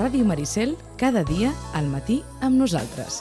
Ràdio Maricel, cada dia al matí amb nosaltres.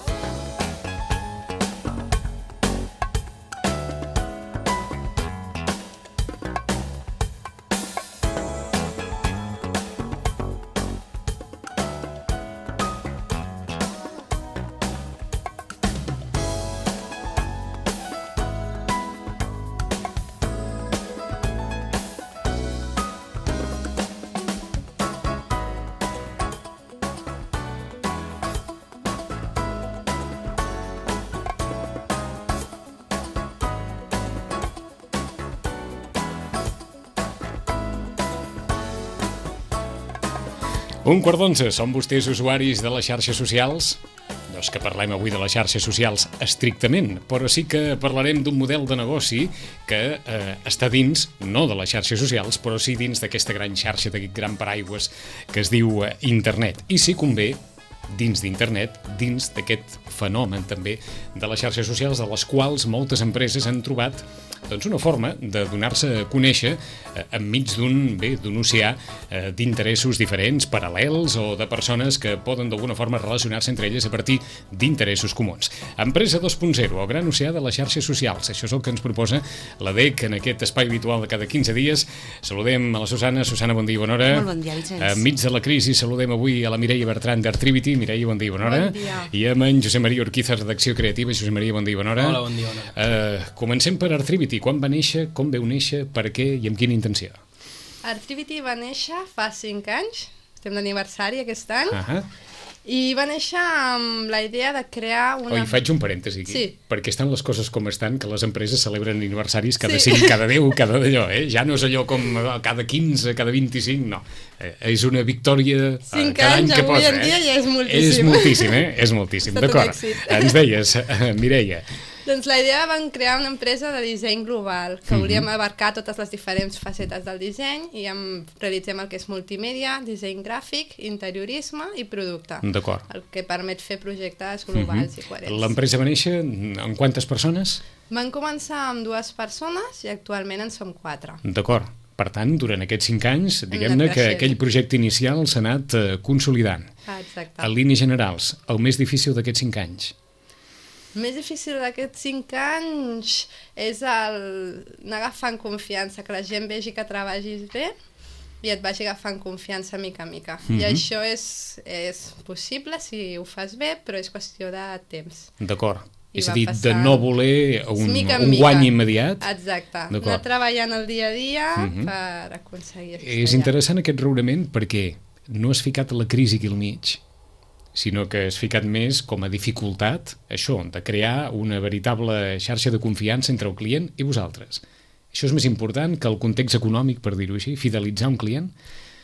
Un quart d'onze, són vostès usuaris de les xarxes socials? No és que parlem avui de les xarxes socials estrictament, però sí que parlarem d'un model de negoci que està dins, no de les xarxes socials, però sí dins d'aquesta gran xarxa, d'aquest gran paraigües que es diu internet. I si convé, dins d'internet, dins d'aquest fenomen també de les xarxes socials, de les quals moltes empreses han trobat una forma de donar-se a conèixer enmig d'un oceà d'interessos diferents, paral·lels o de persones que poden d'alguna forma relacionar-se entre elles a partir d'interessos comuns. Empresa 2.0, el gran oceà de les xarxes socials. Això és el que ens proposa la DEC en aquest espai habitual de cada 15 dies. Saludem a la Susana. Susana, bon dia i bona hora. Molt bon dia, Vicenç. Enmig de la crisi saludem avui a la Mireia Bertran d'Artrivity. Mireia, bon dia i bona hora. Bon dia. I amb en Josep Maria Urquiza, redacció creativa. Josep Maria, bon dia i bona hora. Hola, bon dia, bona hora. Comencem per Artrivity. Quan va néixer, com veu néixer, per què i amb quina intenció? Artrivity va néixer fa 5 anys, estem d'aniversari aquest any, i va néixer amb la idea de crear una... Faig un parèntesi aquí, sí. Perquè estan les coses com estan, que les empreses celebren aniversaris cada 5, cada 10, cada d'allò, Ja no és allò com cada 15, cada 25, no. És una victòria cada any que posa. 5 anys, avui en dia ja és moltíssim. És moltíssim, És moltíssim, d'acord. Ens deies, Mireia. Doncs la idea van crear una empresa de disseny global, que volíem abarcar totes les diferents facetes del disseny i realitzem el que és multimèdia, disseny gràfic, interiorisme i producte. D'acord. El que permet fer projectes globals i coherents. L'empresa va néixer amb quantes persones? Van començar amb 2 persones i actualment en som 4. D'acord. Per tant, durant aquests 5 anys, diguem-ne que aquell projecte inicial s'ha anat consolidant. Exacte. En línies generals, el més difícil d'aquests 5 anys? El més difícil d'aquests 5 anys és anar agafant confiança, que la gent vegi que treballis bé i et vagi agafant confiança mica a mica. I això és possible si ho fas bé, però és qüestió de temps. D'acord. És a dir, de no voler un guany immediat. Exacte. Anar treballant el dia a dia per aconseguir això. És interessant aquest raonament perquè no has ficat la crisi aquí al mig, sinó que has ficat més com a dificultat això, de crear una veritable xarxa de confiança entre el client i vosaltres. Això és més important que el context econòmic, per dir-ho així, fidelitzar un client?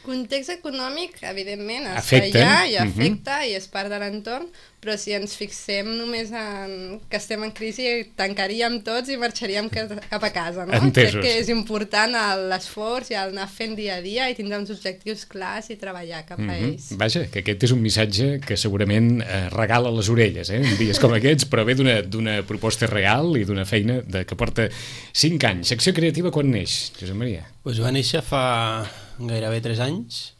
Context econòmic, evidentment, està allà i afecta i és part de l'entorn, però si ens fixem només en que estem en crisi, tancaríem tots i marxaríem cap a casa, no? Entesos. Crec que és important l'esforç i el anar fent dia a dia i tindre uns objectius clars i treballar cap a ells. Vaja, que aquest és un missatge que segurament regala les orelles, en dies com aquests, però ve d'una proposta real i d'una feina que porta 5 anys. Secció creativa quan neix, Josep Maria? Doncs va néixer fa gairebé 3 anys,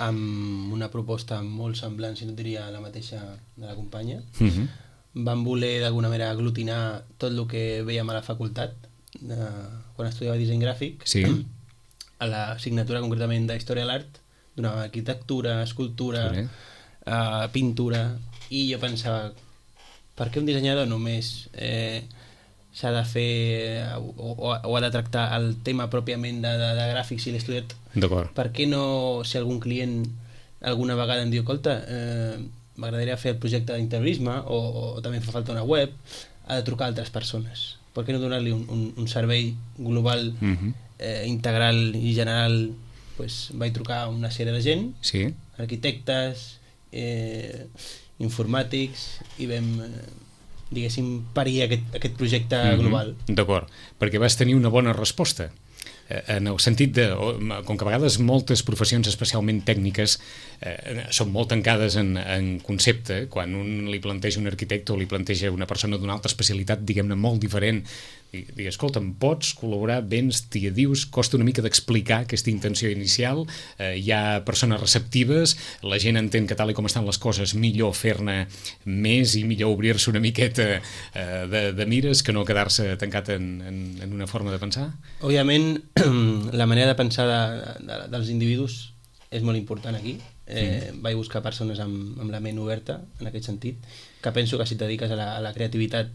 amb una proposta molt semblant, si no diria la mateixa de la companya. Vam voler d'alguna manera aglutinar tot el que veiem a la facultat, quan estudiava disseny gràfic, a l'assignatura concretament d'Història de l'Art, donava arquitectura, escultura, pintura, i jo pensava, per què un dissenyador només s'ha de fer o ha de tractar el tema pròpiament de gràfics si l'he estudiat? D'acord. Per què no, si algun client alguna vegada em diu, escolta, m'agradaria fer el projecte d'interiorisme o també fa falta una web, ha de trucar a altres persones? Per què no donar-li un servei global, integral i general? Vaig trucar a una sèrie de gent, arquitectes, informàtics, i vam diguéssim parir aquest projecte global. D'acord, perquè vas tenir una bona resposta. en el sentit de, com que a vegades moltes professions especialment tècniques són molt tancades en concepte, quan un li planteja un arquitecte o li planteja una persona d'una altra especialitat, diguem-ne, molt diferent, digui, escolta'm, pots col·laborar, vens, t'hi adius, costa una mica d'explicar aquesta intenció inicial, hi ha persones receptives, la gent entén que tal com estan les coses millor fer-ne més i millor obrir-se una miqueta de mires que no quedar-se tancat en una forma de pensar? Òbviament, la manera de pensar dels individus és molt important aquí. Vaig buscar persones amb la ment oberta, en aquest sentit, que penso que si et dediques a la creativitat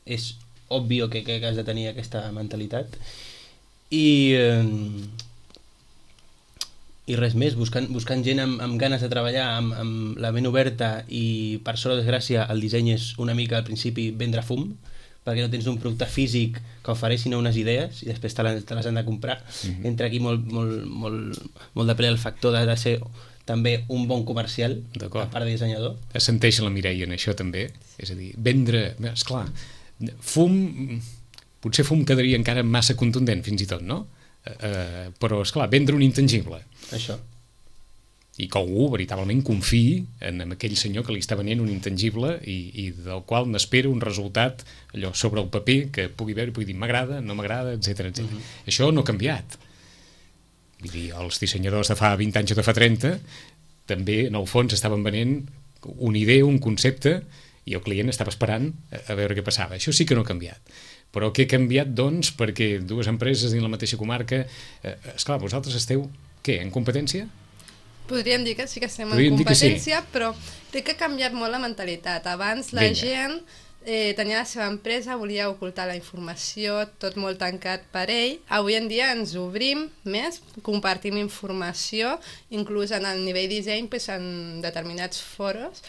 és obvi que has de tenir aquesta mentalitat. I res més, buscant gent amb ganes de treballar, amb la ment oberta, i per sort o desgràcia el disseny és una mica al principi vendre fum, perquè no tens un producte físic que ofereixin unes idees i després te les han de comprar. Entra aquí molt de ple el factor de ser també un bon comercial, a part de dissenyador. Es senteix la Mireia en això també, és a dir, vendre, esclar, fum, potser fum quedaria encara massa contundent fins i tot, no? Però esclar, vendre un intangible. Això. I que algú veritablement confiï en aquell senyor que li està venent un intangible i del qual n'espera un resultat allò sobre el paper que pugui veure i pugui dir m'agrada, no m'agrada, etc. Això no ha canviat. Vull dir, els dissenyadors de fa 20 anys o de fa 30 també en el fons estaven venent una idea, un concepte, i el client estava esperant a veure què passava. Això sí que no ha canviat. Però què ha canviat, doncs, perquè dues empreses dins la mateixa comarca, esclar, vosaltres esteu, què, en competència? Podríem dir que sí que estem en competència, però té que ha canviat molt la mentalitat. Abans la gent tenia la seva empresa, volia ocultar la informació, tot molt tancat per ell. Avui en dia ens obrim més, compartim informació, inclús en el nivell disseny, en determinats foros,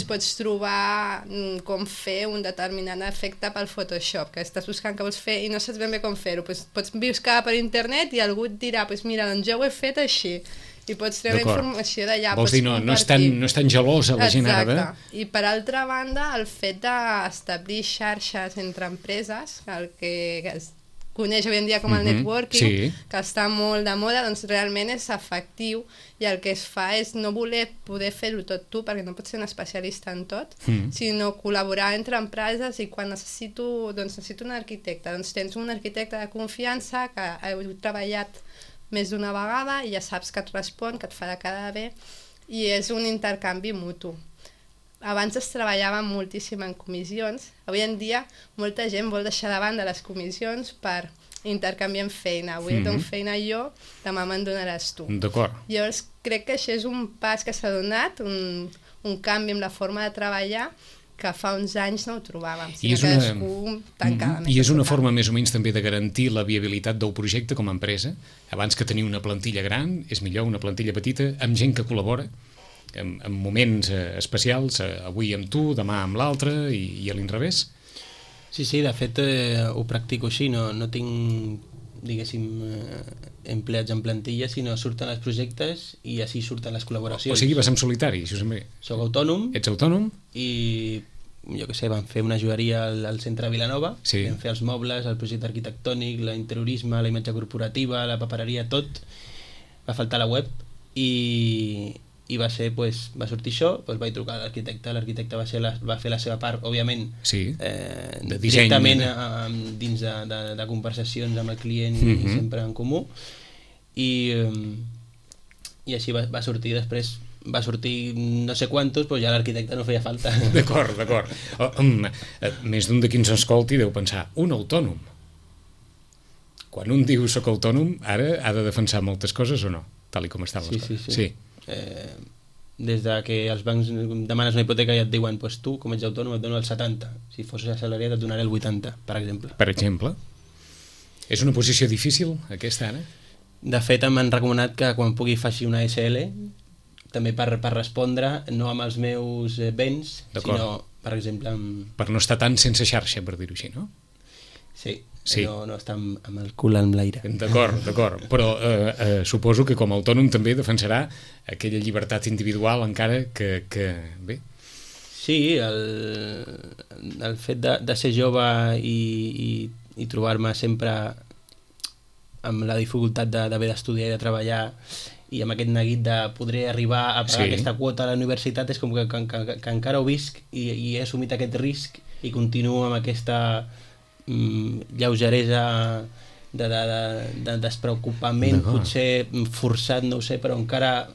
pots trobar com fer un determinat efecte pel Photoshop, que estàs buscant què vols fer i no saps ben bé com fer-ho. Pots buscar per internet i algú et dirà, mira, doncs jo ho he fet així. I pots treure informació d'allà. Vols dir, no és tan gelosa la gent ara. Exacte. I per altra banda, el fet d'establir xarxes entre empreses, el que es coneix avui en dia com el networking, que està molt de moda, doncs realment és efectiu, i el que es fa és no voler poder fer-ho tot tu, perquè no pots ser un especialista en tot, sinó col·laborar entre empreses, i quan necessito un arquitecte, doncs tens un arquitecte de confiança que heu treballat més d'una vegada i ja saps que et respon, que et farà quedar bé, i és un intercanvi mutu. Abans es treballava moltíssim en comissions, avui en dia molta gent vol deixar de banda les comissions per intercanviar feina. Avui et dono feina jo, demà me'n donaràs tu. D'acord. Llavors crec que això és un pas que s'ha donat, un canvi en la forma de treballar, que fa uns anys no ho trobàvem, sinó que cadascú tancava més. I és una forma més o menys també de garantir la viabilitat del projecte com a empresa. Abans que tenir una plantilla gran, és millor una plantilla petita, amb gent que col·labora, en moments especials, avui amb tu, demà amb l'altre, i a l'inrevés. Sí, de fet ho practico així, no tinc, diguéssim, empleats en plantilla, sinó surten els projectes i així surten les col·laboracions. O sigui, vas en solitari, si us sembla. Soc autònom. Ets autònom? I jo què sé, vam fer una joieria al centre de Vilanova, vam fer els mobles, el projecte arquitectònic, l'interiorisme, la imatge corporativa, la papereria, tot. Va faltar la web i va sortir això, vaig trucar a l'arquitecte va fer la seva part, òbviament, de disseny, directament dins de conversacions amb el client i sempre en comú, i així va sortir. Després va sortir no sé quantos, però ja l'arquitecte no feia falta. D'acord. Més d'un de qui ens escolti deu pensar, un autònom. Quan un diu soc autònom, ara ha de defensar moltes coses o no? Tal com estan les coses. Sí. Des de que els bancs demanes una hipoteca i et diuen tu, com ets autònom, et dono el 70. Si fossis assalariat et donaré el 80, per exemple. Per exemple. És una posició difícil, aquesta, ara? De fet, m'han recomanat que quan pugui faci una SL, també per respondre, no amb els meus béns, sinó, per exemple... Per no estar tant sense xarxa, per dir-ho així, no? Sí. No estar amb el cul en l'aire. D'acord. Però suposo que com a autònom també defensarà aquella llibertat individual encara que bé. Sí, el fet de ser jove i trobar-me sempre amb la dificultat d'haver d'estudiar i de treballar i amb aquest neguit de poder arribar a pagar aquesta quota a la universitat, és com que encara ho visc i he assumit aquest risc i continuo amb aquesta lleugeresa de despreocupament, potser forçat, no ho sé, però encara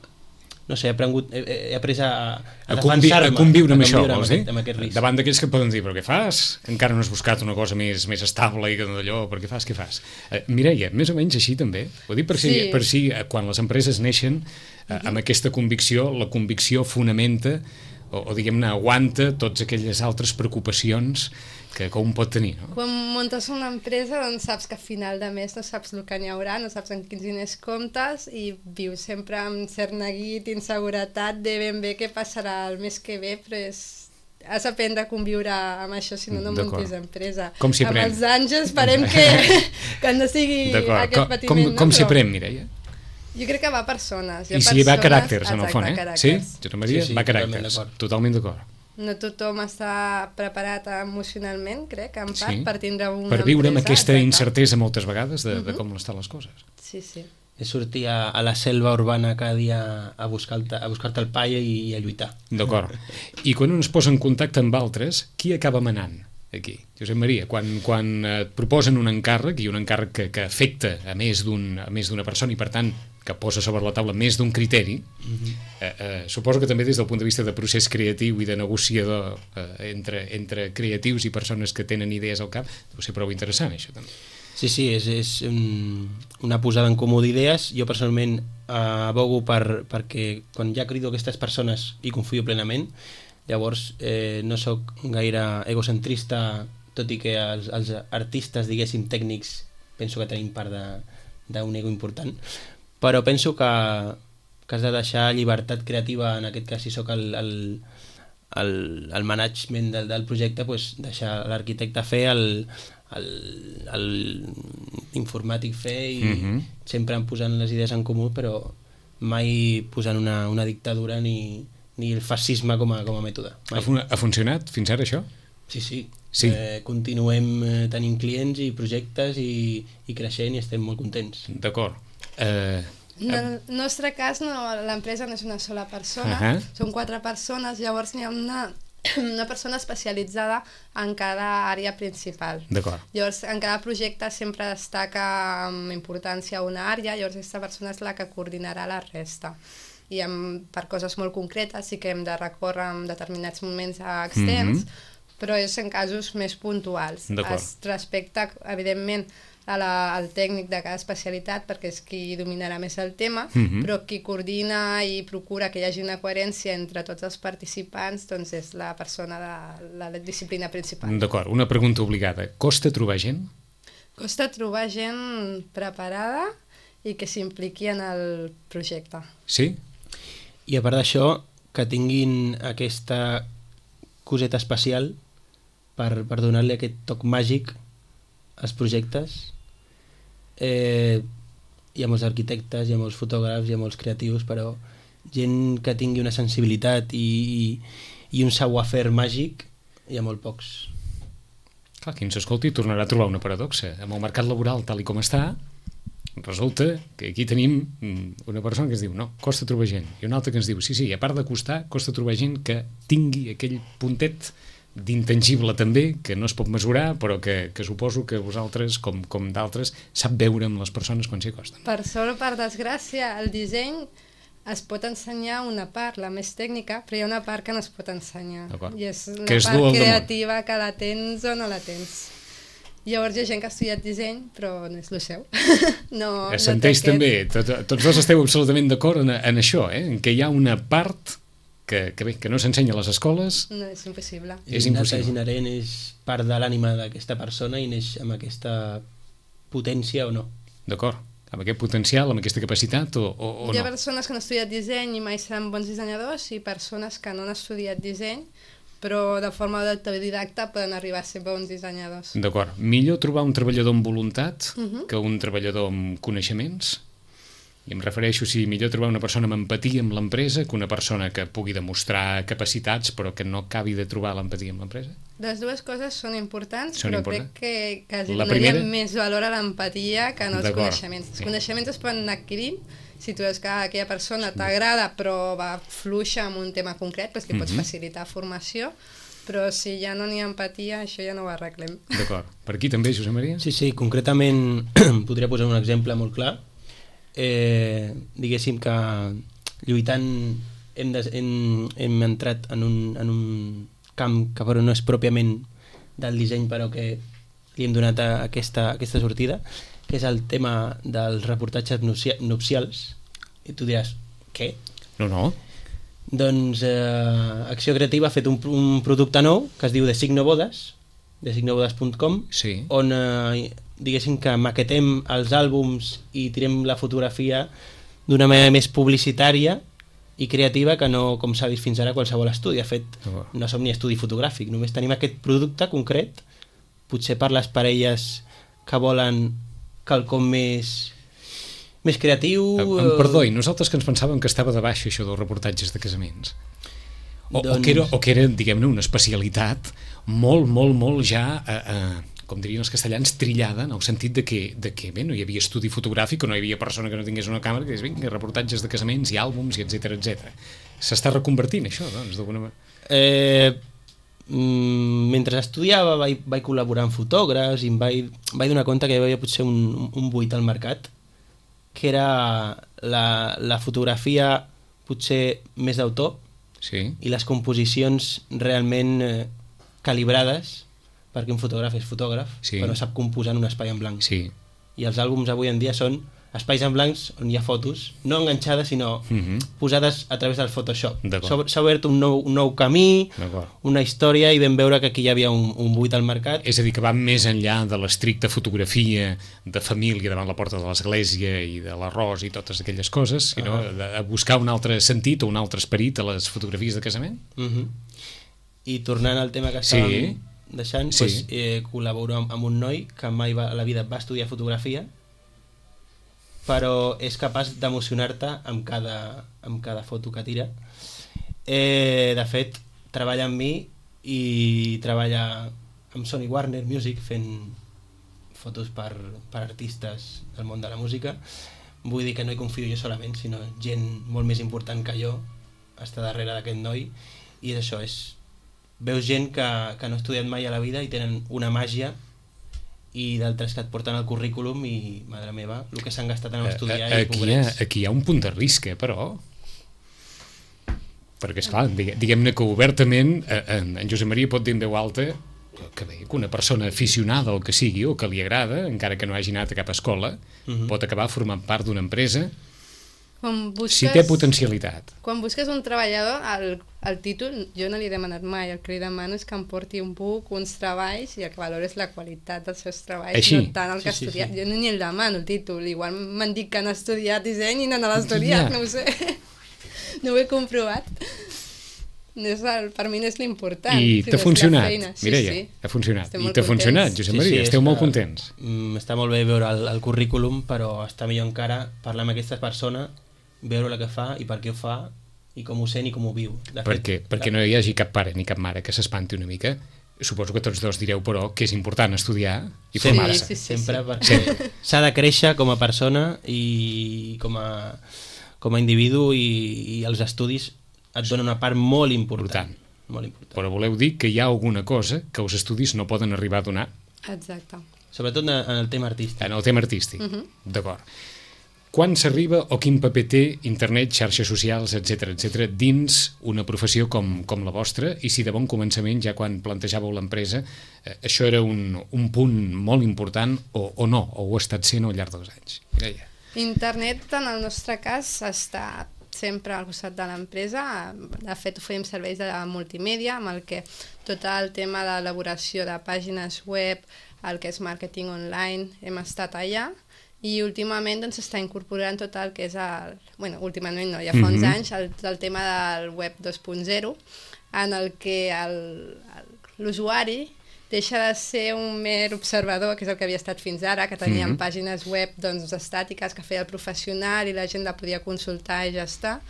no sé, he après a defensar-me, a conviure amb això, vols dir? Amb aquest risc. Davant d'aquells que poden dir, però què fas? Encara no has buscat una cosa més estable i que d'allò, però què fas? Mireia, més o menys així també? Ho dic per si quan les empreses neixen amb aquesta convicció, la convicció fonamenta o diguem-ne, aguanta totes aquelles altres preocupacions que un pot tenir, no? Quan muntes una empresa, doncs saps que a final de mes no saps el que n'hi haurà, no saps en quins diners comptes i vius sempre amb cert neguit, inseguretat de ben bé què passarà el mes que ve, però has d'aprendre a conviure amb això, si no muntis empresa. Com s'hi aprèn? Amb els anys esperem que no sigui aquest patiment. Com s'hi aprèn, Mireia? Jo crec que va a persones. I si va a caràcters, en el fons, Sí? Josep Maria, va a caràcters. Totalment d'acord. No tothom està preparat emocionalment, crec, en part, per tindre una per viure amb empresa, aquesta incertesa moltes vegades de com estan les coses. Sí. És sortir a la selva urbana cada dia a buscar-te el pa i a lluitar. D'acord. I quan un es posa en contacte amb altres, qui acaba manant aquí? Josep Maria, quan et proposen un encàrrec, i un encàrrec que afecta a més d'una persona i per tant que posa sobre la taula més d'un criteri, suposo que també des del punt de vista de procés creatiu i de negociador entre creatius i persones que tenen idees al cap, deu ser prou interessant això també. Sí, és una posada en comú d'idees. Jo personalment abogo perquè quan ja crido aquestes persones hi confio plenament. Llavors no sóc gaire egocentrista, tot i que els artistes, diguéssim, tècnics, penso que tenim part d'un ego important, però penso que has de deixar llibertat creativa, en aquest cas si sóc el management del projecte, doncs deixar l'arquitecte fer, l'informàtic fer i sempre posant les idees en comú, però mai posant una dictadura ni el fascisme com a mètode. Ha funcionat fins ara això? Sí. Continuem tenint clients i projectes i creixent i estem molt contents. D'acord. En el nostre cas l'empresa no és una sola persona, són 4 persones, llavors n'hi ha una persona especialitzada en cada àrea principal. D'acord. Llavors en cada projecte sempre destaca amb importància una àrea, llavors aquesta persona és la que coordinarà la resta. I per coses molt concretes sí que hem de recórrer en determinats moments externs, però és en casos més puntuals. Es respecta, evidentment, al tècnic de cada especialitat, perquè és qui dominarà més el tema, però qui coordina i procura que hi hagi una coherència entre tots els participants doncs és la persona de la disciplina principal. D'acord, una pregunta obligada. Costa trobar gent? Costa trobar gent preparada i que s'impliqui en el projecte. Sí? I a part d'això, que tinguin aquesta coseta especial per donar-li aquest toc màgic als projectes. Hi ha molts arquitectes, hi ha molts fotògrafs, hi ha molts creatius, però gent que tingui una sensibilitat i un savoir-faire màgic hi ha molt pocs. Clar, qui ens escolti tornarà a trobar una paradoxa. Amb el mercat laboral tal i com està, resulta que aquí tenim una persona que ens diu no, costa trobar gent, i una altra que ens diu sí, a part de costar, costa trobar gent que tingui aquell puntet d'intangible també, que no es pot mesurar, però que suposo que vosaltres, com d'altres, sap veure amb les persones quan s'hi acosten. Per sort o per desgràcia, el disseny es pot ensenyar una part, la més tècnica, però hi ha una part que no es pot ensenyar. I és una part creativa que la tens o no la tens. Llavors hi ha gent que ha estudiat disseny, però no és el seu. Senteix també, tots dos esteu absolutament d'acord en això, en què hi ha una part que no s'ensenya a les escoles. No, és impossible. És inherent, és part de l'ànima d'aquesta persona i neix amb aquesta potència o no. D'acord, amb aquest potencial, amb aquesta capacitat o no. Hi ha persones que han estudiat disseny i mai seran bons dissenyadors i persones que no han estudiat disseny però de forma autodidacta poden arribar a ser bons dissenyadors. D'acord. Millor trobar un treballador amb voluntat que un treballador amb coneixements? I em refereixo si millor trobar una persona amb empatia amb l'empresa que una persona que pugui demostrar capacitats però que no acabi de trobar l'empatia amb l'empresa. Les dues coses són importants, Són però importants. crec que quasi La donaria primera? més valor a l'empatia que no als D'acord, coneixements. sí. Els coneixements es poden anar adquirint si tu veus que aquella persona t'agrada però va fluixa en un tema concret, doncs que pots facilitar formació, però si ja no n'hi ha empatia, això ja no ho arreglem. D'acord. Per aquí també, Josep Maria? Sí, concretament podria posar un exemple molt clar. Diguéssim que lluitant hem entrat en un camp que però no és pròpiament del disseny, però que li hem donat aquesta sortida, que és el tema dels reportatges nupcials. I tu diràs, què? No. Doncs Acció Creativa ha fet un producte nou que es diu designobodes, designobodes.com, Sí. on diguéssim que maquetem els àlbums i tirem la fotografia d'una manera més publicitària i creativa que no com s'ha vist fins ara qualsevol estudi. De fet, no som ni estudi fotogràfic, només tenim aquest producte concret, potser per les parelles que volen quelcom més creatiu. Perdó, i nosaltres que ens pensàvem que estava de baixa això dels reportatges de casaments. O que era, diguem-ne, una especialitat molt ja, com dirien els castellans, trillada, en el sentit de que bé, no hi havia estudi fotogràfic o no hi havia persona que no tingués una càmera que digués, vinga, reportatges de casaments i àlbums i etc. S'està reconvertint això, doncs, d'alguna manera? Mentre estudiava vaig col·laborar amb fotògrafs i em vaig donar compte que hi havia potser un buit al mercat, que era la fotografia potser més d'autor, sí. I les composicions realment calibrades, perquè un fotògraf és fotògraf, sí. però no sap composar en un espai en blanc. Sí. I els àlbums avui en dia són espais en blancs on hi ha fotos, no enganxades, sinó posades a través del Photoshop. S'ha obert un nou camí, una història, i vam veure que aquí hi havia un buit al mercat. És a dir, que va més enllà de l'estricta fotografia de família davant la porta de l'església i de l'arròs i totes aquelles coses, sinó de buscar un altre sentit o un altre esperit a les fotografies de casament. I tornant al tema que estàvem deixant, col·laboro amb un noi que mai a la vida va estudiar fotografia, però és capaç d'emocionar-te amb cada foto que tira. De fet, treballa amb mi i treballa amb Sony Warner Music fent fotos per artistes del món de la música. Vull dir que no hi confio jo solament, sinó gent molt més important que jo està darrere d'aquest noi, i és això, veus gent que no ha estudiat mai a la vida i tenen una màgia, i d'altres que et porten al currículum i, madre meva, el que s'han gastat en estudiar i pobrets. Aquí hi ha un punt de risc, però... Perquè, esclar, diguem-ne que obertament en Josep Maria pot dir en veu alta que una persona aficionada al que sigui o que li agrada, encara que no hagi anat a cap escola, pot acabar formant part d'una empresa si té potencialitat. Quan busques un treballador, el títol, jo no li he demanat mai, el que li demano és que em porti un buc, uns treballs, i el que valora és la qualitat dels seus treballs, així? No tant el que ha estudiat. Jo ni el demano, el títol. Igual m'han dit que han estudiat disseny i no l'han estudiat, no ho sé. No ho he comprovat. Per mi no és l'important. I t'ha funcionat, Mireia, ha funcionat. I t'ha funcionat, Josep Maria, esteu molt contents. Està molt bé veure el currículum, però està millor encara parlar amb aquesta persona, veure el que fa i per què ho fa i com ho sent i com ho viu. Perquè no hi hagi cap pare ni cap mare que s'espanti una mica. Suposo que tots dos direu, però, que és important estudiar i formar-se. Sí. Sempre, perquè s'ha de créixer com a persona i com a individu, i els estudis et donen una part molt important. Però voleu dir que hi ha alguna cosa que els estudis no poden arribar a donar? Exacte. Sobretot en el tema artístic. En el tema artístic, d'acord. Quan s'arriba o quin paper té internet, xarxes socials, etc dins una professió com la vostra, i si de bon començament, ja quan plantejàveu l'empresa, això era un punt molt important o no, o ho ha estat sent al llarg dels anys? Internet, en el nostre cas, està sempre al costat de l'empresa. De fet, oferim serveis de multimèdia, amb el que tot el tema d'elaboració de pàgines web, el que és màrqueting online, hem estat allà. I últimament s'està incorporant tot el que és últimament no, ja fa uns anys, el tema del web 2.0, en el que l'usuari deixa de ser un mer observador, que és el que havia estat fins ara, que teníem pàgines web doncs, estàtiques que feia el professional i la gent la podia consultar i ja està,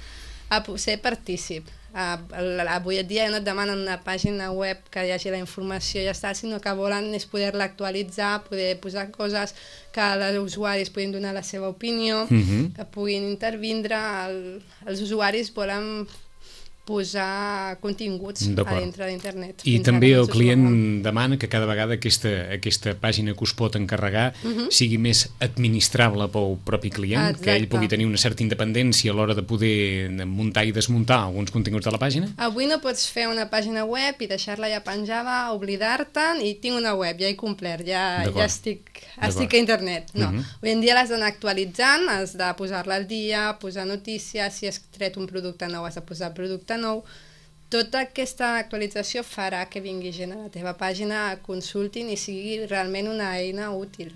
a ser partícip. Avui en dia no et demanen una pàgina web que hi hagi la informació i ja està, sinó que volen és poder-la actualitzar, poder posar coses que els usuaris puguin donar la seva opinió, que puguin intervindre. Els usuaris volen posar continguts a dintre d'internet. I també el client demana que cada vegada aquesta pàgina que us pot encarregar sigui més administrable pel propi client, que ell pugui tenir una certa independència a l'hora de poder muntar i desmuntar alguns continguts de la pàgina? Avui no pots fer una pàgina web i deixar-la ja penjada, oblidar-te'n i tinc una web, ja he complert, ja estic a internet. No, avui en dia l'has d'anar actualitzant, has de posar-la al dia, posar notícies, si has tret un producte nou has de posar producte nou. Tota aquesta actualització farà que vingui gent a la teva pàgina, consultin i sigui realment una eina útil.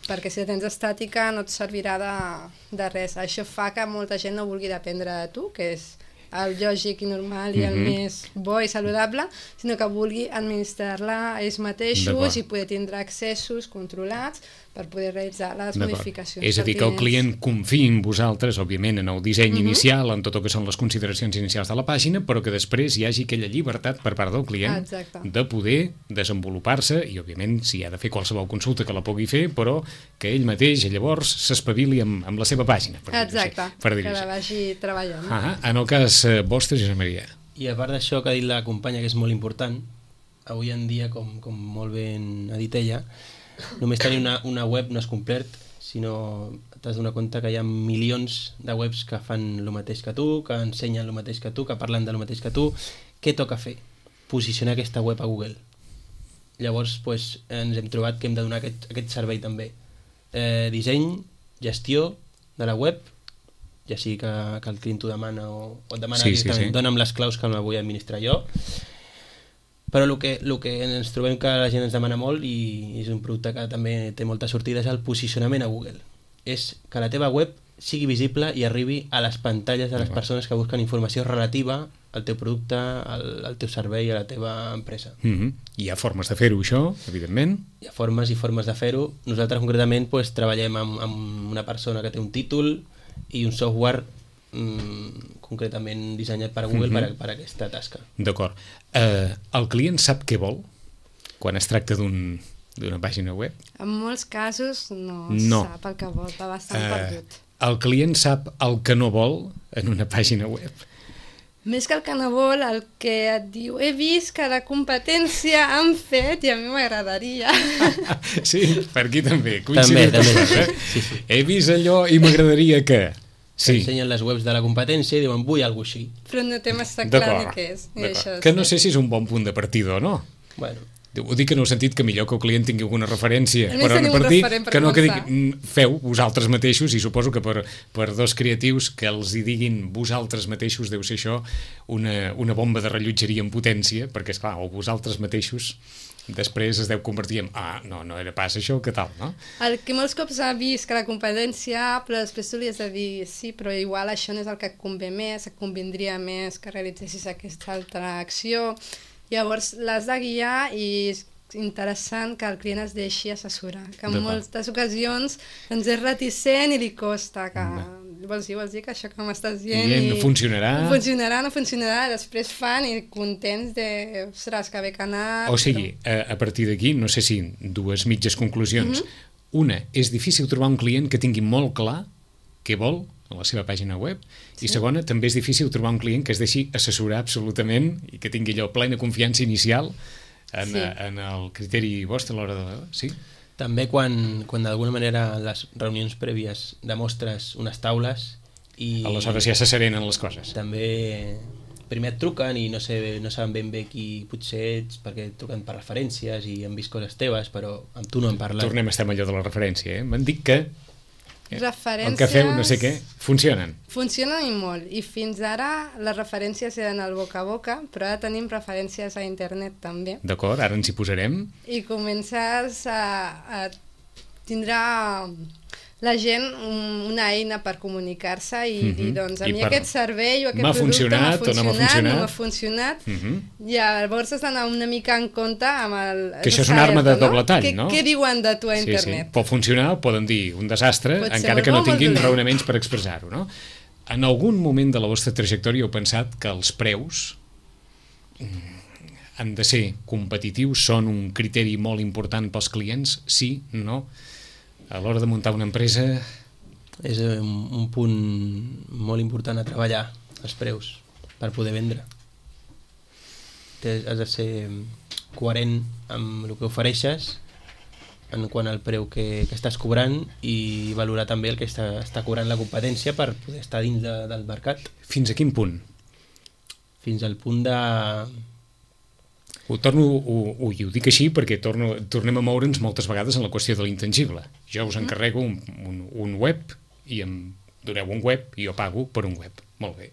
Perquè si la tens estàtica no et servirà de res. Això fa que molta gent no vulgui dependre de tu, que és el lògic i normal i el més bo i saludable, sinó que vulgui administrar-la ells mateixos i poder tindre accessos controlats per poder realitzar les modificacions. És a dir, que el client confiï en vosaltres, òbviament, en el disseny inicial, en tot el que són les consideracions inicials de la pàgina, però que després hi hagi aquella llibertat per part del client de poder desenvolupar-se i, òbviament, si ha de fer qualsevol consulta que la pugui fer, però que ell mateix llavors s'espavili amb la seva pàgina. Exacte, que la vagi treballant. En el cas vostre, Josep Maria. I a part d'això que ha dit la companya, que és molt important, avui en dia, com molt ben ha dit ella, només tenir una web no és complet, sinó t'has de donar compte que hi ha milions de webs que fan el mateix que tu, que ensenyen el mateix que tu, que parlen del mateix que tu. Què toca fer? Posicionar aquesta web a Google. Llavors ens hem trobat que hem de donar aquest servei també. Disseny, gestió de la web, ja sigui que el client t'ho demana o et demana directament, dona'm les claus que me vull administrar jo. Però el que ens trobem que la gent ens demana molt, i és un producte que també té molta sortida, és el posicionament a Google. És que la teva web sigui visible i arribi a les pantalles de les persones que busquen informació relativa al teu producte, al teu servei, a la teva empresa. Hi ha formes de fer-ho, això, evidentment? Hi ha formes i formes de fer-ho. Nosaltres concretament treballem amb una persona que té un títol i un software concretament dissenyat per Google per aquesta tasca. D'acord. El client sap què vol quan es tracta d'una pàgina web? En molts casos no sap el que vol, va bastant perdut. El client sap el que no vol en una pàgina web? Més que el que no vol, el que et diu he vist que la competència han fet i a mi m'agradaria. Sí, per aquí també. També. Sí. He vist allò i m'agradaria que... ensenyen les webs de la competència i diuen vull alguna cosa així. Però no té massa clar ni què és. Que no sé si és un bon punt de partida o no. Bueno. Ho dic en el sentit que millor que el client tingui alguna referència per on partir, que no que feu vosaltres mateixos, i suposo que per dos creatius que els hi diguin vosaltres mateixos deu ser això una bomba de rellotgeria en potència, perquè esclar, o vosaltres mateixos després es deu convertir en no era pas això, què tal, no? El que molts cops ha vist que la competència, però després tu li has de dir sí, però igual això no és el que et convé més, et convindria més que realitzessis aquesta altra acció. Llavors l'has de guiar i és interessant que el client es deixi assessorar, que en moltes ocasions ens és reticent i li costa que... Vols dir que això que m'estàs dient no funcionarà? No funcionarà, després fan i contents de, ostres, que bé que ha anat... O sigui, a partir d'aquí, no sé si dues mitges conclusions. Una, és difícil trobar un client que tingui molt clar què vol a la seva pàgina web, i segona, també és difícil trobar un client que es deixi assessorar absolutament i que tingui allò plena confiança inicial en el criteri vostre a l'hora de... Sí? També quan d'alguna manera les reunions prèvies demostres unes taules i... Aleshores ja se serenen les coses. També primer et truquen i no saben ben bé qui potser ets, perquè et truquen per referències i han vist coses teves, però amb tu no han parlat. Tornem a estar amb allò de la referència, M'han dit que referències... el que feu, no sé què, funcionen. Funcionen i molt, i fins ara les referències eren al boca a boca, però ara tenim referències a internet també. D'acord, ara ens hi posarem. I comences a tindre la gent una eina per comunicar-se i dir, doncs, a I mi per- aquest servei o aquest m'ha producte funcionat o no m'ha funcionat. no m'ha funcionat. Llavors has d'anar una mica en compte amb el... Que això és una arma de doble tall, no? Què diuen de tu a Sí, internet? pot funcionar, poden dir un desastre, Pot ser encara molt que no bo o molt tinguin dolent. raonaments per expressar-ho, no? En algun moment de la vostra trajectòria heu pensat que els preus han de ser competitius, són un criteri molt important pels clients? Sí, no? A l'hora de muntar una empresa... És un punt molt important a treballar, els preus, per poder vendre. Has de ser coherent amb el que ofereixes en quant al preu que estàs cobrant i valorar també el que està cobrant la competència per poder estar dins del mercat. Fins a quin punt? Fins al punt de... Ho dic així perquè tornem a moure'ns moltes vegades en la qüestió de l'intangible. Jo us encarrego un web i em doneu un web i jo pago per un web. Molt bé.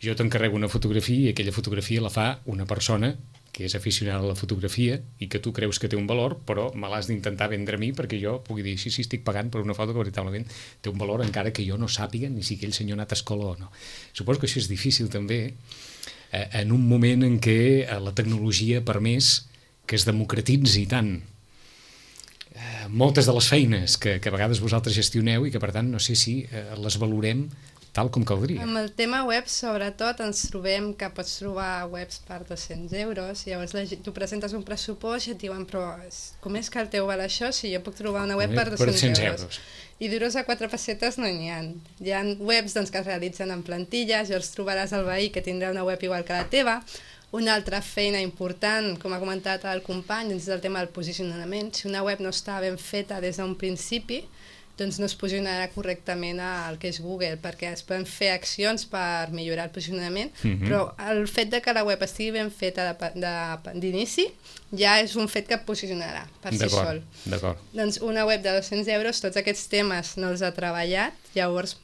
Jo t'encarrego una fotografia i aquella fotografia la fa una persona que és aficionada a la fotografia i que tu creus que té un valor, però me l'has d'intentar vendre a mi perquè jo pugui dir, sí, estic pagant per una foto que veritablement té un valor encara que jo no sàpiga ni si aquell senyor ha anat a escola o no. Suposo que això és difícil també en un moment en què la tecnologia ha permès que es democratitzi tant moltes de les feines que a vegades vosaltres gestioneu i que per tant no sé si les valorem tal com caldria. Amb el tema web, sobretot, ens trobem que pots trobar webs per 200 euros, llavors tu presentes un pressupost i et diuen, però com és que el teu val això si jo puc trobar una web per 200 euros? I duros a 4 pessetes no n'hi ha. Hi ha webs doncs, que es realitzen en plantilles, llavors trobaràs el veí que tindrà una web igual que la teva. Una altra feina important, com ha comentat el company, és el tema del posicionament. Si una web no està ben feta des d'un principi, doncs no es posicionarà correctament al que és Google, perquè es poden fer accions per millorar el posicionament, però el fet de que la web estigui ben feta d'inici ja és un fet que posicionarà per si sol. D'acord. Doncs una web de 200 euros, tots aquests temes no els ha treballat, llavors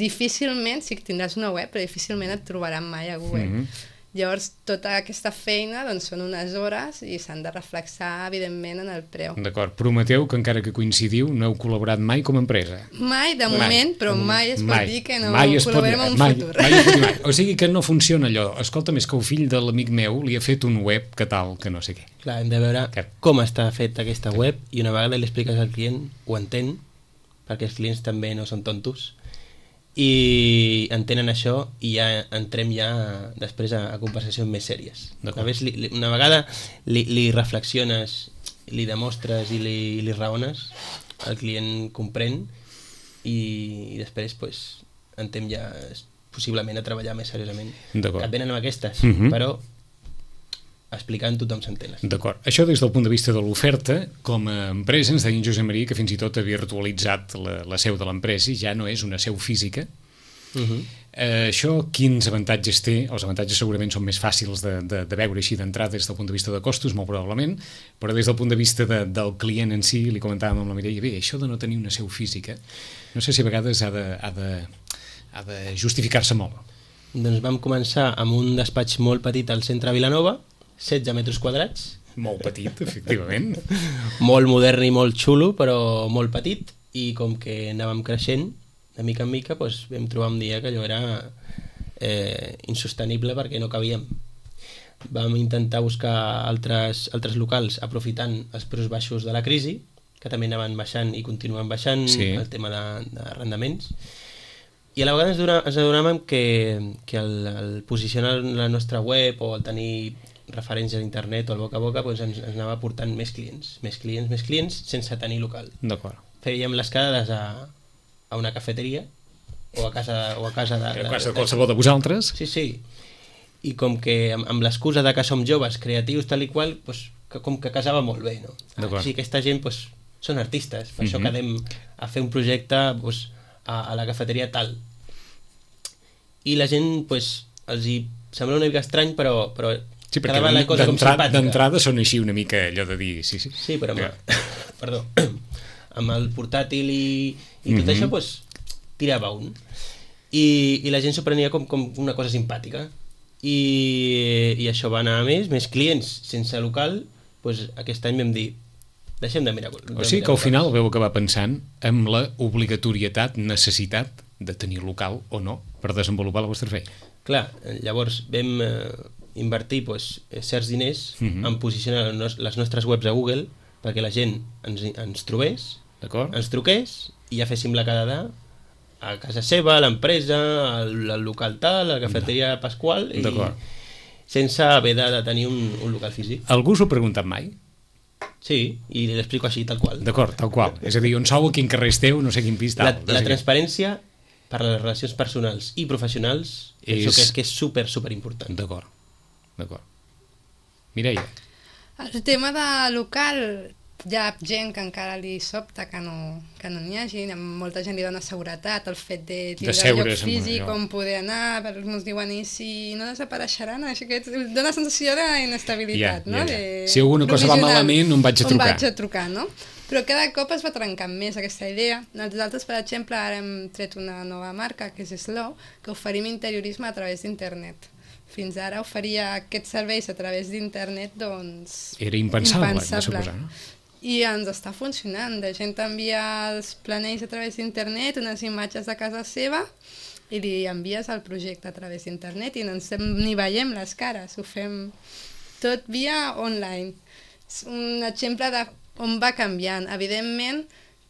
difícilment, sí que tindràs una web, però difícilment et trobaran mai a Google. Llavors, tota aquesta feina doncs, són unes hores i s'han de reflexar, evidentment, en el preu. D'acord. Prometeu que encara que coincidiu no heu col·laborat mai com a empresa? Mai, de moment, però mai es pot dir que no col·laborem en un futur. Mai. O sigui que no funciona allò. Escolta, més que el fill de l'amic meu li ha fet un web que tal, que no sé què. Clar, hem de veure com està fet aquesta web i una vegada li expliques al client, ho entén, perquè els clients també no són tontos, i entenen això i ja entrem després a conversacions més sèries. Una vegada li reflexiones, li demostres i li raones, el client comprèn i després pues, entrem ja possiblement a treballar més seriosament. Et venen amb aquestes, però explicant tothom s'entén. D'acord. Això des del punt de vista de l'oferta, com a empresa ens deia en Josep Maria que fins i tot ha virtualitzat la seu de l'empresa i ja no és una seu física. Això quins avantatges té? Els avantatges segurament són més fàcils de veure així d'entrada des del punt de vista de costos, molt probablement, però des del punt de vista del client en si, li comentàvem amb la Mireia, bé, això de no tenir una seu física, no sé si a vegades ha de justificar-se molt. Doncs vam començar amb un despatx molt petit al centre de Vilanova, 16 metres quadrats. Molt petit, efectivament. Molt modern i molt xulo, però molt petit, i com que anàvem creixent, de mica en mica, doncs vam trobar un dia que allò era insostenible perquè no cabíem. Vam intentar buscar altres locals aprofitant els preus baixos de la crisi, que també anaven baixant i continuen baixant, el tema d'arrendaments, i a la vegada ens adonàvem que el posicionar la nostra web o el tenir referències a internet o al boca a boca doncs ens anava portant més clients sense tenir local. D'acord. Fèiem les quedades a una cafeteria o a casa de qualsevol de vosaltres. Sí. I com que amb l'excusa de que som joves, creatius, tal i qual, doncs, com que casava molt bé, no? Així que aquesta gent doncs, són artistes, per això quedem a fer un projecte doncs, a la cafeteria tal. I la gent doncs, els hi sembla una mica estrany, però sí, perquè d'entrada són així una mica allò de dir... Sí, però amb el portàtil i tot això doncs, tirava un. I la gent s'ho prenia com una cosa simpàtica. I això va anar a més clients sense local. Doncs aquest any vam dir, deixem de mirar... O sigui que al final veu acabar pensant en la obligatorietat, necessitat de tenir local o no per desenvolupar la vostra feina. Clar, llavors vam invertir certs diners en posicionar les nostres webs a Google perquè la gent ens trobés, ens truqués i ja féssim la quedada a casa seva, a l'empresa, al local tal, a la cafeteria Pasqual, i sense haver de tenir un local físic. Algú us ho ha preguntat mai? Sí, i l'explico així, tal qual. D'acord, tal qual. És a dir, on sou, a quin carrer esteu, no sé quin pis, tal. La transparència per a les relacions personals i professionals penso que és super important. D'acord. Mireia. El tema de local, hi ha gent que encara li sobta que no n'hi hagi, molta gent li dona seguretat, el fet de tindre lloc físic, on poder anar, ens diuen, i si no desapareixeran, així que dona sensació d'inestabilitat, no? Si alguna cosa va malament, on vaig a trucar. On vaig a trucar, no? Però cada cop es va trencant més aquesta idea. Nosaltres, per exemple, ara hem tret una nova marca, que és Slow, que oferim interiorisme a través d'internet. Fins ara oferia aquests serveis a través d'internet, doncs... Era impensable, de suposar, no? I ens està funcionant. La gent envia els planells a través d'internet, unes imatges de casa seva, i li envies el projecte a través d'internet i ni veiem les cares, ho fem tot via online. És un exemple de on va canviant. Evidentment,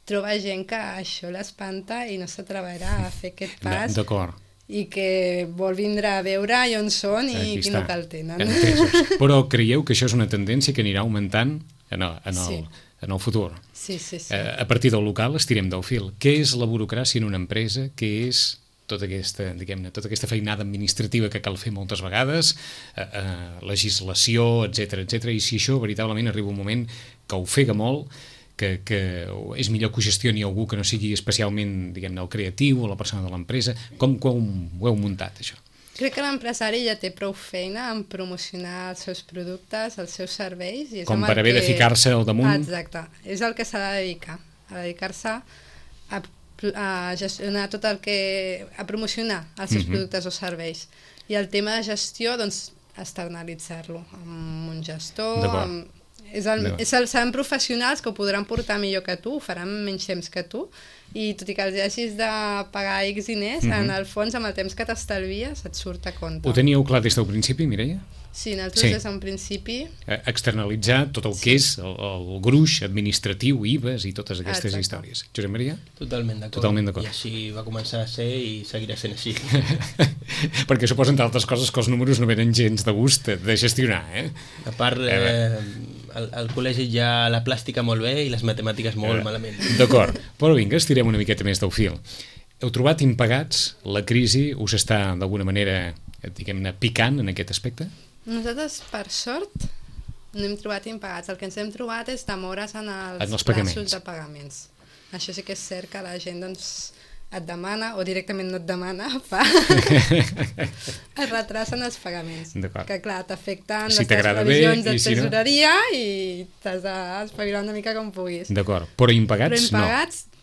troba gent que això l'espanta i no s'atreverà a fer aquest pas. D'acord. I que vol vindre a veure on són i quin local tenen. Però creieu que això és una tendència que anirà augmentant en el futur? Sí. A partir del local estirem del fil. Què és la burocràcia en una empresa? Què és tota aquesta feinada administrativa que cal fer moltes vegades, legislació, etc. I si això veritablement arriba un moment que ofega molt, que és millor que ho gestioni algú que no sigui especialment, diguem-ne, el creatiu o la persona de l'empresa. Com ho heu muntat, això? Crec que l'empresari ja té prou feina en promocionar els seus productes, els seus serveis. I és com per haver de ficar-se al damunt. Exacte. És el que s'ha de dedicar. A dedicar-se a gestionar tot el que... a promocionar els seus productes o serveis. I el tema de gestió, doncs, externalitzar-lo amb un gestor, seran professionals que ho podran portar millor que tu, ho faran menys temps que tu, i tot i que els hagis de pagar X diners, en el fons, amb el temps que t'estalvies, et surt a compte. Ho teníeu clar des del principi, Mireia? Sí, nosaltres des d'un principi... Externalitzar tot el que és el gruix administratiu, IVAs i totes aquestes històries. Josep Maria? Totalment d'acord. I així va començar a ser i seguirà sent així. Perquè suposo, entre altres coses, que els números no venen gens de gust de gestionar, A part, al col·legi ja la plàstica molt bé i les matemàtiques molt malament. D'acord, però vinga, estirem una miqueta més del fil. Heu trobat impagats? La crisi us està d'alguna manera, diguem-ne, picant en aquest aspecte? Nosaltres, per sort, no hem trobat impagats. El que ens hem trobat és demores en els pagaments. de pagaments. Això sí que és cert que la gent doncs, et demana, o directament no et demana, es retrasen els pagaments. Que clar, t'afecten les teves previsions de tesoreria i t'has d'espavilar una mica com puguis. D'acord, però impagats no.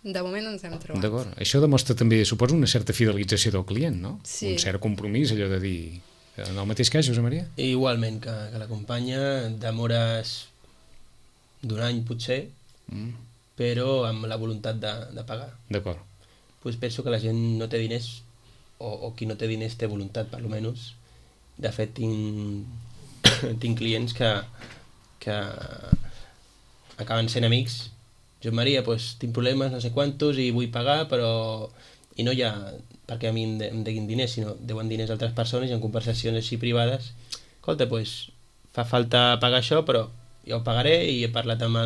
De moment no ens hem trobat. D'acord, això demostra també, suposo, una certa fidelització del client, no? Sí. Un cert compromís, allò de dir... En el mateix cas, Josep Maria? Igualment que l'acompanya, demores d'un any potser, però amb la voluntat de pagar. D'acord. Pues penso que la gent no té diners, o qui no té diners té voluntat, per almenys. De fet, tinc clients que acaben sent amics. Josep Maria, pues, tinc problemes, no sé quantos, i vull pagar, però... I no ja perquè a mi em deguin diners, sinó deuen diners a altres persones i en conversacions així privades. Escolta, pues, fa falta pagar això, però jo ho pagaré i he parlat amb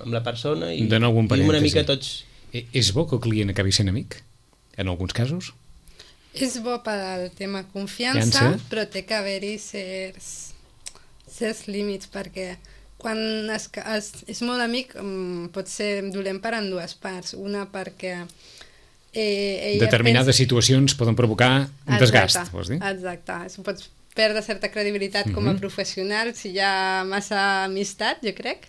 la persona i una mica tots... És bo que el client acabi sent amic, en alguns casos? És bo per al tema confiança, però té que haver-hi certs límits, perquè quan és molt amic pot ser dolent per en dues parts. Una perquè determinades situacions poden provocar un desgast, vols dir? Exacte, pots perdre certa credibilitat com a professional si hi ha massa amistat, jo crec,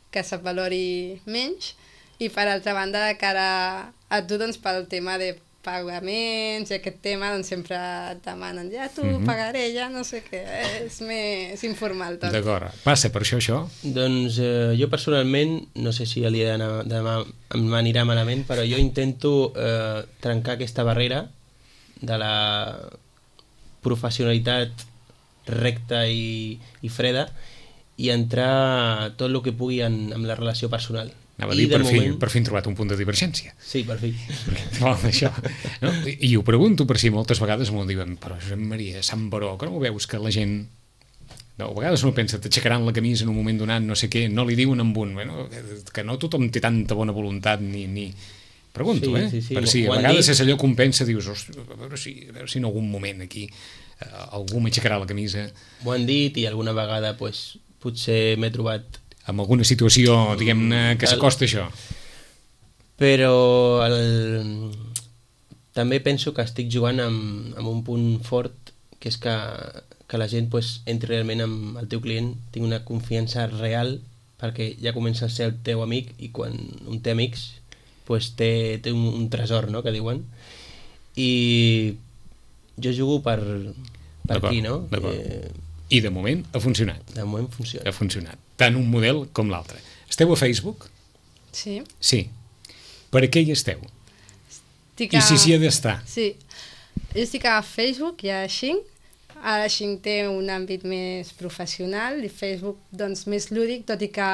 que se't valori menys, i per altra banda de cara a tu, doncs, pel tema de pagaments i aquest tema, doncs sempre et demanen ja tu pagaré, ja no sé què, és més informal tot. D'acord. Passa per això? Doncs jo personalment, no sé si demà m'anirà malament, però jo intento trencar aquesta barrera de la professionalitat recta i freda i entrar tot el que pugui en la relació personal. Anava a dir, per fi hem trobat un punt de divergència. Sí, per fi. Això, no? I ho pregunto per si moltes vegades m'ho diuen, però Josep Maria, Sant Baró, que no ho veus que la gent... No, a vegades no pensa, t'aixecaran la camisa en un moment donat, no sé què, no li diuen amb un, bueno, que no tothom té tanta bona voluntat ni... Pregunto, sí. Per si a vegades és allò que un pensa, dius, a veure si en algun moment aquí algú m'aixecarà la camisa. Ho han dit i alguna vegada pues, potser m'he trobat amb alguna situació, diguem-ne, que s'acosta això. Però també penso que estic jugant amb un punt fort, que és que la gent pues, entri realment amb el teu client, tingui una confiança real, perquè ja comença a ser el teu amic, i quan un té amics pues, té un tresor, no?, que diuen. I jo jugo per aquí, no? I de moment ha funcionat. De moment funciona. Ha funcionat. Tant un model com l'altre. Esteu a Facebook? Sí. Sí. Per què hi esteu? I si s'hi ha d'estar? Sí. Jo estic a Facebook i a Xing. Ara Xing té un àmbit més professional i Facebook doncs més lúdic, tot i que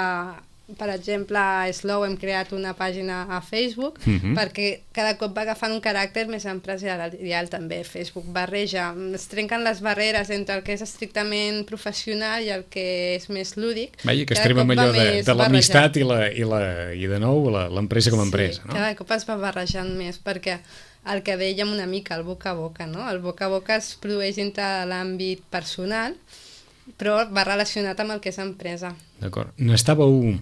per exemple, a Slow hem creat una pàgina a Facebook perquè cada cop va agafant un caràcter més empresarial també. Facebook barreja, es trenquen les barreres entre el que és estrictament professional i el que és més lúdic. Vaja, que estarem amb allò de l'amistat i de nou l'empresa com a empresa, no? Cada cop es va barrejant més perquè el que dèiem una mica, el boca a boca, no? El boca a boca es produeix entre l'àmbit personal però va relacionat amb el que és empresa. D'acord. N'estàveu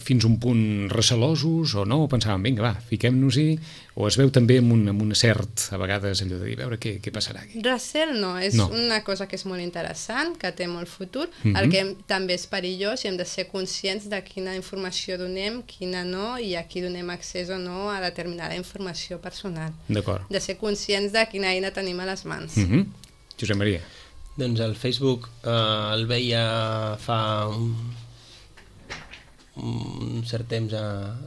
fins un punt recelosos o no? O pensàvem, vinga, va, fiquem-nos-hi, o es veu també amb un cert, a vegades, allò de dir, a veure què passarà aquí? Recel no, és una cosa que és molt interessant, que té molt futur, el que també és perillós i hem de ser conscients de quina informació donem, quina no, i a qui donem accés o no a determinada informació personal. D'acord. De ser conscients de quina eina tenim a les mans. Josep Maria. Doncs el Facebook el veia fa un cert temps a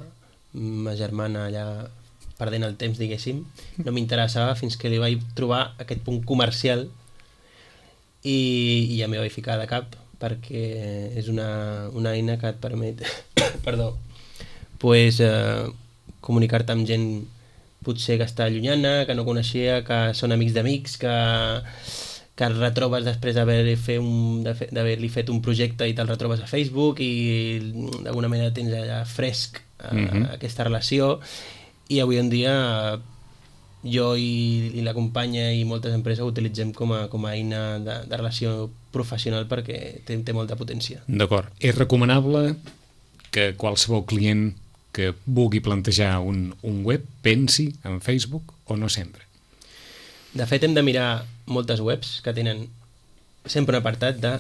ma germana allà perdent el temps, diguéssim. No m'interessava fins que li vaig trobar aquest punt comercial i ja m'hi vaig ficar de cap perquè és una eina que et permet comunicar-te amb gent potser que està allunyana, que no coneixia, que són amics d'amics, que et retrobes després d'haver-li fet un projecte i te'l retrobes a Facebook i d'alguna manera tens allà fresc aquesta relació. I avui en dia jo i la companya i moltes empreses ho utilitzem com a eina de relació professional perquè té molta potència. D'acord. És recomanable que qualsevol client que vulgui plantejar un web pensi en Facebook o no sempre? De fet, hem de mirar moltes webs que tenen sempre un apartat de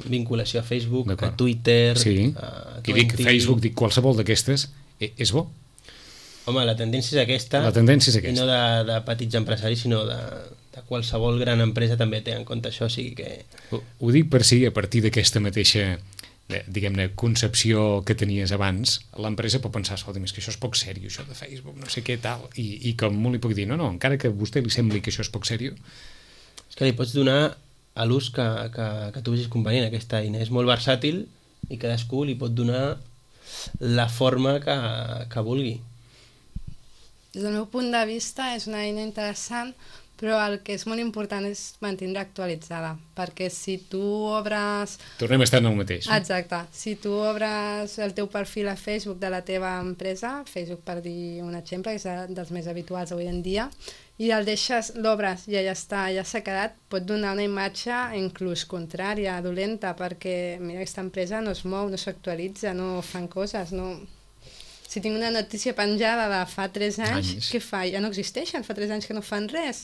vinculació a Facebook, a Twitter... Sí, i dic Facebook, dic qualsevol d'aquestes, és bo? Home, la tendència és aquesta. La tendència és aquesta. I no de petits empresaris, sinó de qualsevol gran empresa també té en compte això, o sigui que... Ho dic per si a partir d'aquesta mateixa diguem-ne, concepció que tenies abans, l'empresa pot pensar, escolta, és que això és poc sèrio, això de Facebook, no sé què, tal, i com molt li puc dir, no, encara que a vostè li sembli que això és poc sèrio... És que li pots donar a l'ús que tu vegis convenient, aquesta eina. És molt versàtil i cadascú li pot donar la forma que vulgui. Des del meu punt de vista és una eina interessant, però el que és molt important és mantenir actualitzada, perquè si tu obres... Tornem a estar en el mateix. Exacte. Si tu obres el teu perfil a Facebook de la teva empresa, Facebook per dir un exemple, que és dels més habituals avui en dia, i el deixes, l'obres i ja està, ja s'ha quedat, pot donar una imatge inclús contrària, dolenta, perquè mira, aquesta empresa no es mou, no s'actualitza, no fan coses, no... Si tinc una notícia penjada de fa 3 anys, què fa? Ja no existeixen, fa 3 anys que no fan res.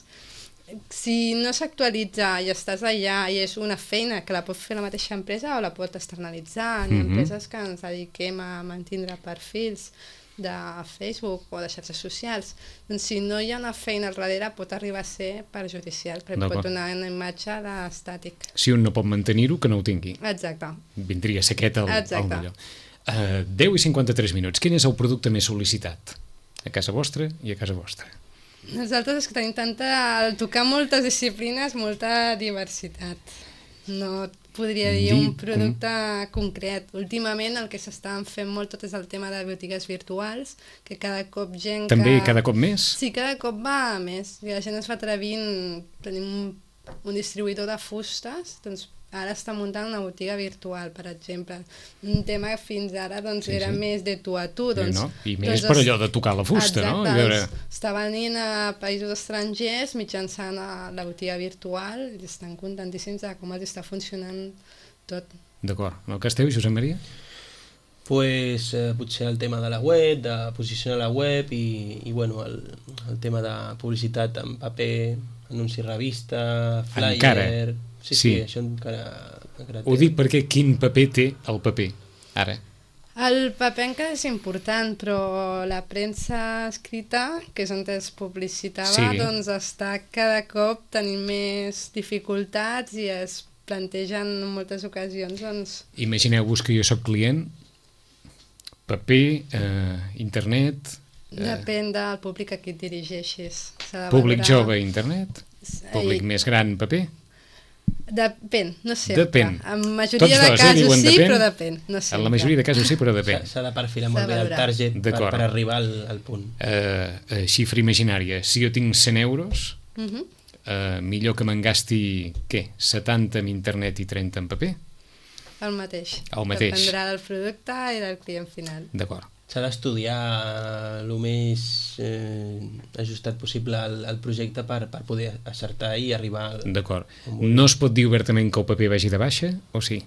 Si no s'actualitza i estàs allà i és una feina que la pot fer la mateixa empresa o la pot externalitzar, hi ha empreses que ens dediquem a mantindre perfils. de Facebook o de xarxes socials. Doncs si no hi ha una feina al darrere pot arribar a ser perjudicial, perquè pot donar una imatge d'estàtic. Si un no pot mantenir-ho, que no ho tingui. Exacte. Vindria a ser aquest el millor. 10:53 minuts. Quin és el producte més sol·licitat? A casa vostra i a casa vostra. Nosaltres és que tenim tocar moltes disciplines, molta diversitat. No podria dir un producte concret. Últimament el que s'estan fent molt tot és el tema de botigues virtuals, que cada cop gent També cada cop més? Sí, cada cop va més. I la gent es va atrevint. Tenim un distribuïdor de fustes, doncs ara està muntant una botiga virtual, per exemple. Un tema que fins ara doncs, era més de tu a tu. Doncs, I més per allò de tocar la fusta, no? Està venint a països estrangers mitjançant la botiga virtual i estan contentíssims de com els està funcionant tot. D'acord. En el cas teu, Josep Maria? Pues potser el tema de la web, de posicionar la web i bueno, el tema de publicitat en paper, anunci revista, flyer... Encara? Sí, això encara Ho dic perquè quin paper té el paper, ara? El paper encara és important, però la premsa escrita, que és on es publicitava, doncs està cada cop tenint més dificultats i es plantegen en moltes ocasions. Doncs... Imagineu-vos que jo sóc client, paper, internet... Depèn del públic a qui et dirigeixis. Públic jove, internet? Públic més gran, paper? Depèn, no sempre. Depèn. En majoria de casos sí, però depèn. No en la majoria de casos sí, però depèn. S'ha de perfilar molt bé el target per arribar al punt. Xifra imaginària. Si jo tinc 100 euros, millor que me'n gasti, què? 70 en internet i 30 en paper? El mateix. El mateix. Dependrà del producte i del client final. D'acord. S'ha d'estudiar el més ajustat possible al projecte per poder acertar i arribar... D'acord. No es pot dir obertament que el paper vagi de baixa, o sí?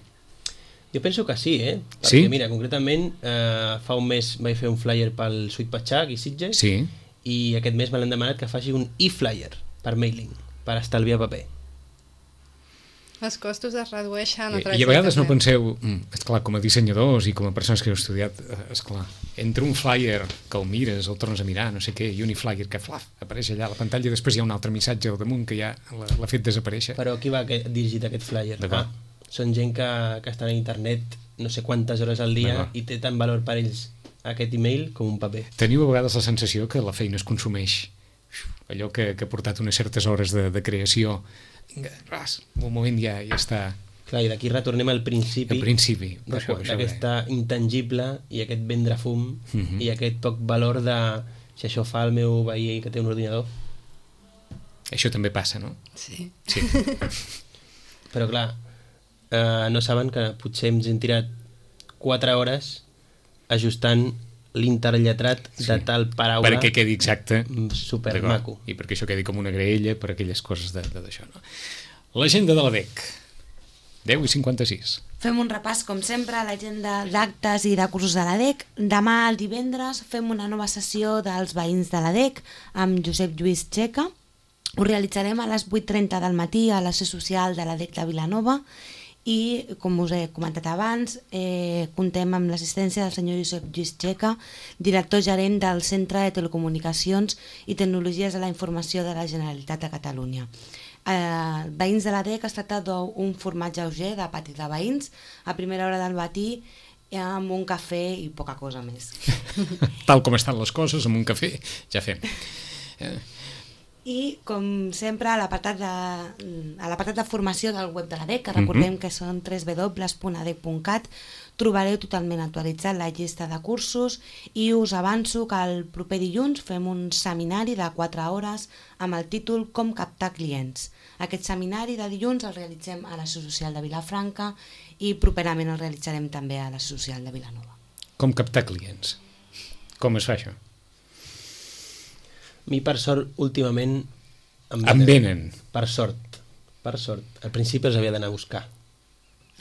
Jo penso que sí, Perquè, mira, concretament, fa un mes vaig fer un flyer pel Sweet Patxac i Sitges i aquest mes me l'han demanat que faci un e-flyer per mailing, per estalviar paper. Els costos es redueixen... I a vegades no penseu, esclar, com a dissenyadors i com a persones que heu estudiat, esclar, entre un flyer que el mires, el tornes a mirar, no sé què, i un e-flyer que apareix allà a la pantalla i després hi ha un altre missatge al damunt que ja l'ha fet desaparèixer. Però qui va dirigit aquest flyer? Són gent que estan a internet no sé quantes hores al dia i té tant valor per ells aquest email com un paper. Teniu a vegades la sensació que la feina es consumeix, allò que ha portat unes certes hores de creació, un moment ja està... Clar, i d'aquí retornem al principi d'aquesta intangible i aquest vendre fum i aquest poc valor de si això fa el meu veí que té un ordinador. Això també passa, no? Sí. Però clar, no saben que potser ens hem tirat 4 hores ajustant l'interlletrat de tal paraula perquè quedi exacte, supermaco, i perquè això quedi com una graella per aquelles coses d'això, no? L'agenda de la DEC, 10:56. Fem un repàs, com sempre, a l'agenda d'actes i de cursos de la DEC. Demà, el divendres, fem una nova sessió dels veïns de la DEC amb Josep Lluís Txeca. Ho realitzarem a les 8:30 del matí a la seu social de la DEC de Vilanova i, com us he comentat abans, contem amb l'assistència del senyor Josep Lluís Txeca, director gerent del Centre de Telecomunicacions i Tecnologies de la Informació de la Generalitat de Catalunya. Veïns de la DEC es tracta d'un format lleuger de pati de veïns a primera hora del matí amb un cafè i poca cosa més. Tal com estan les coses, amb un cafè ja fem. I, com sempre, a l'apartat de formació del web de la DEC, que recordem que són www.adec.cat, trobareu totalment actualitzat la llista de cursos i us avanço que el proper dilluns fem un seminari de 4 hores amb el títol Com captar clients. Aquest seminari de dilluns el realitzem a la Seu Social de Vilafranca i properament el realitzarem també a la Seu Social de Vilanova. Com captar clients? Com es fa això? A mi, per sort, últimament em venen. Per sort. Al principi els havia d'anar a buscar.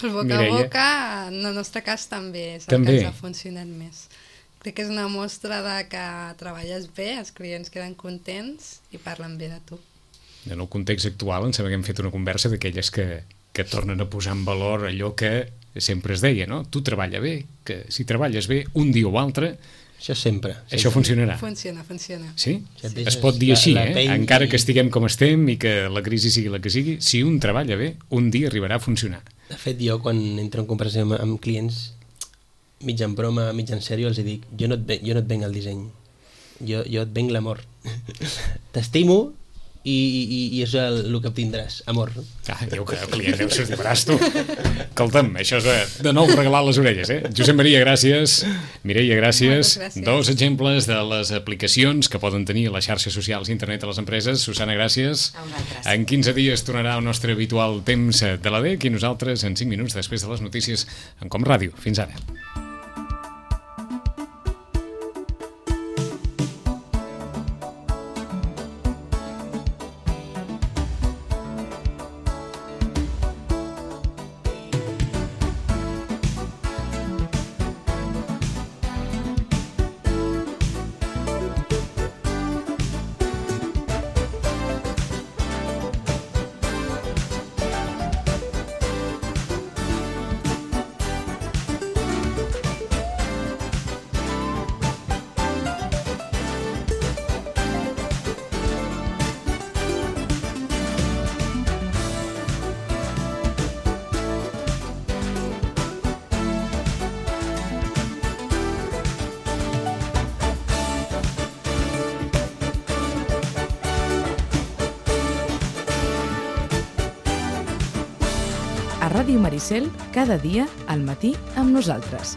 El boca a boca, en el nostre cas també és el que ens ha funcionat més. Crec que és una mostra de que treballes bé, els clients queden contents i parlen bé de tu. En el context actual em sembla que hem fet una conversa d'aquelles que tornen a posar en valor allò que sempre es deia, no? Tu treballa bé, que si treballes bé, un dia o altre Això sempre. Això funcionarà. Funciona. Sí? Ja et deixes Es pot dir així, la pell encara i- que estiguem com estem i que la crisi sigui la que sigui, si un treballa bé, un dia arribarà a funcionar. De fet, jo quan entro en conversació amb clients, mig en broma, mig en sèrio, els dic, jo no et venc el disseny, jo et venc l'amor. T'estimo i és el que obtindràs, amor. Diu que el client deu ser de braç, tu. Escolta'm, això és de nou regalar les orelles, Josep Maria, gràcies. Mireia, gràcies. Moltes gràcies. 2 exemples de les aplicacions que poden tenir a les xarxes socials i internet a les empreses. Susana, gràcies. A vosaltres. En 15 dies tornarà el nostre habitual temps de l'ADEC i nosaltres en 5 minuts després de les notícies en Com Ràdio. Fins ara. A Ràdio Maricel, cada dia al matí amb nosaltres.